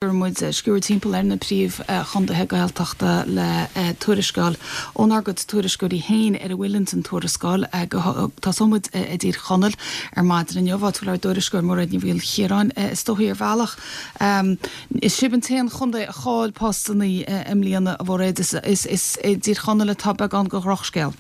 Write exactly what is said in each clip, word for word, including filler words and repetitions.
Muid sciúr timpeall ar na príomh chontaetha Gaeltachta le tuarascáil ónár gcuid tuairisceoirí féin ar a bhfuil ins an tuarascáil. Tosóimid i dTír Chonaill ar maidin inniu, áit ár dtuairisceoir Mairéad Ní Mhaoilchiaráin is dóichí ar bhealach. Is sibh an t-aon chontae a chaill postanna i mbliana, a Mhairéad, is is i dTír Chonaill atá beagán de dhrochscéal.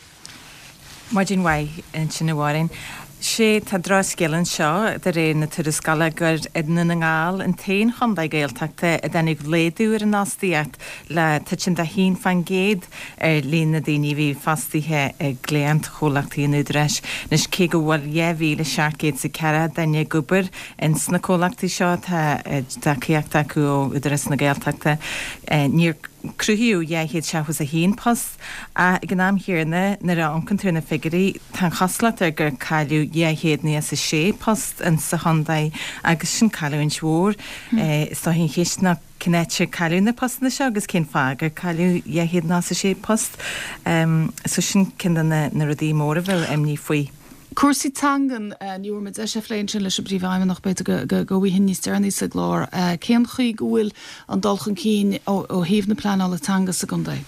Maidin mhaith ansin, a Mháirín. Sé tá drochscéal anseo de réir na tuarascála gur i nDún na nGall an t-aon chontae Gaeltachta a dtáinig laghdú ar an fhostaíocht le titim de haon faoin gcéad ar líon na daoine a bhí fostaithe i gcliantchomhlachtaí an Údaráis. Anois cé go bhfuil dhá mhíle seacht gcéad is a ceathracha duine ag obair ins na comhlachtaí seo tá tacaíocht acu ó Údarás na Gaeltachta níor cruthaíodh dhá chéad seachtó is a haon post ach ag an am chéanna nuair a amharcann tú ar na figiúirí tá an chosúlacht air gur cailleadh dhá chéad nócha is a sé post in sa chontae agus sin cailliúint mhór. Is dóichí an cheist ná cén áit ar cailleadh na postanna seo agus cén fáth gur cailleadh dhá chéad nócha is a sé post. So sin ceann de na rudaí móra a bheadh imní faoi. Cúrsaí teangan ní bhfuair muid deis a phlé sin leis an bpríomhfheidhmeannach b'fhéidir go bhfuighin níos deireanaí sa gclár. Cén chaoi go bhfuil an dul chun cinn ó thaobh na pleanála teanga sa gcontae?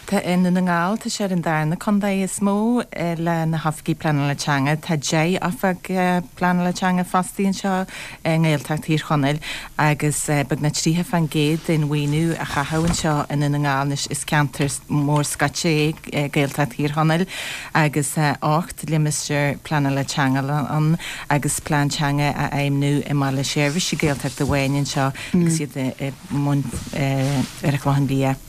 Tá i nDún na nGall tá sé ar an darna contae is mó le na hoifigigh pleanála teanga. Tá deich oifigeach pleanála teanga fostaithe anseo i nGaeltacht Thír Chonaill agus beagnach tríocha faoin gcéad den mhaoiniú a chaitheamh anseo i nDún na nGall anois is ceantar mór scoite é Gaeltacht Thír Chonaill agus ocht limistéar pleanála teanga ann agus plean teanga á fheidhmiú i mBaile Seirbhíse Gaeltachta amháin anseo agus iad i mbun ar an Chlochán Liath.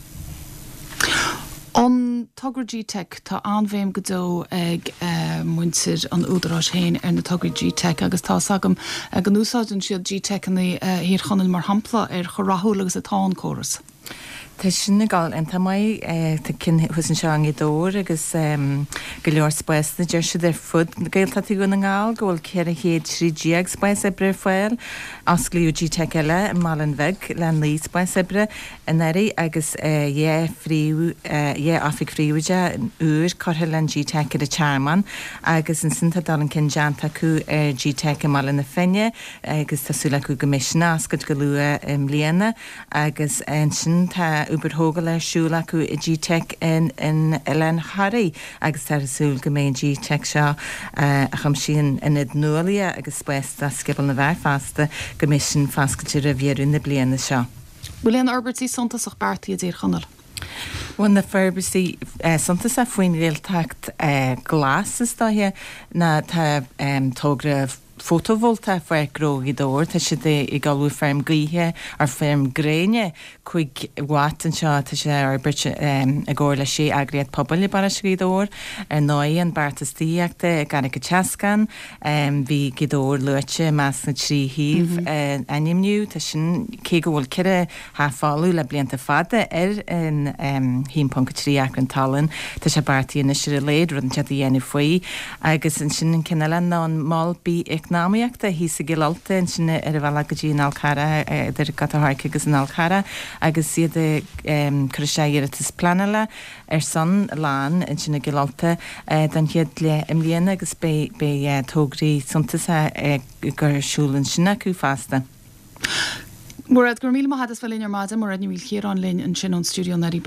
An togra G-Teic, tá an-bhéim go deo ag uh, muintir an Údaráis féin ar na tograí G-Teic agus tá agam uh, go n-úsáideann siad G-Teiceanna uh, Thír Chonaill mar shampla ar chomh rathúil agus atá an córas. Tá sin ag dul iontach maith tá ceann thuas anseo i nGaoth Dobhair agus go leor spásanna deir siad ar fud Gaeltachtaí Dhún na nGall go bhfuil ceithre chéad trí déag spás oibre ar fáil. Osclaíodh G-Teic eile i mBaile an Bhig le naoi spás oibre anuraidh agus dhá phríomh dhá oifig phríobháideach úr curtha le an G-Teic ar an Tearmann agus ansin tá dul chun cinn déanta acu ar G-Teic i mBaile na Finne agus tá súil acu go mbeidh sin oscailte go luath i mbliana agus ansin tá obair thógála ar siúl acu i G-Teic in in Oileán Thoraí agus tá súil go mbeidh an G-Teic seo a chuimsíonn ionad nuálaíochta agus spás do Scioból na bhFear fosta go mbeidh sin foscailte roimh dheireadh na bliana seo. Bhfuil aon fhorbairtí suntasach beartaithe i dTír Chonaill? Bhuel na forbairtí suntasach faoin Ghaeltacht glas is dóiche ná tá togra fotovoltach Pháirc Ghnó Ghaoth Dobhair, tá siad ag ullmhú feirm gaoithe ar feirm gréine cúig watt anseo tá sé á fhorbairt i gcomhar le sé eagraíocht pobail i bparóiste Ghaoth Dobhair ar ndóigh an beartas tithíochta i gCarraig an tSeascáin bhí Gaoth Dobhair luaite i measc na trí shuíomh ainmniú tá sin cé go bhfuil ceithre theach folamh le blianta fada ar an haon ponc a trí acra talún tá sé beartaithe anois ar a laghad rud inteacht a dhéanamh faoi agus ansin an ceann eile ná an mol bith-eacnamaíochta thíos i gCill Ulta ansin ar an bhealach go dtí an Fhál Carrach idir Gort an Choirce agus an Fhál Carrach agus iad ag cur isteach iarratas pleanála ar son lán ansin i gCill Ulta don chéad leath i mbliana agus beidh beidh tograí suntasacha ag cur ar siúl ansin acu fosta. Mairéad, go raibh míle maith agat as bheith linn ar maidin, Mairéad Ní Mhaoilchiaráin linn ansin ón stiúideo Neidí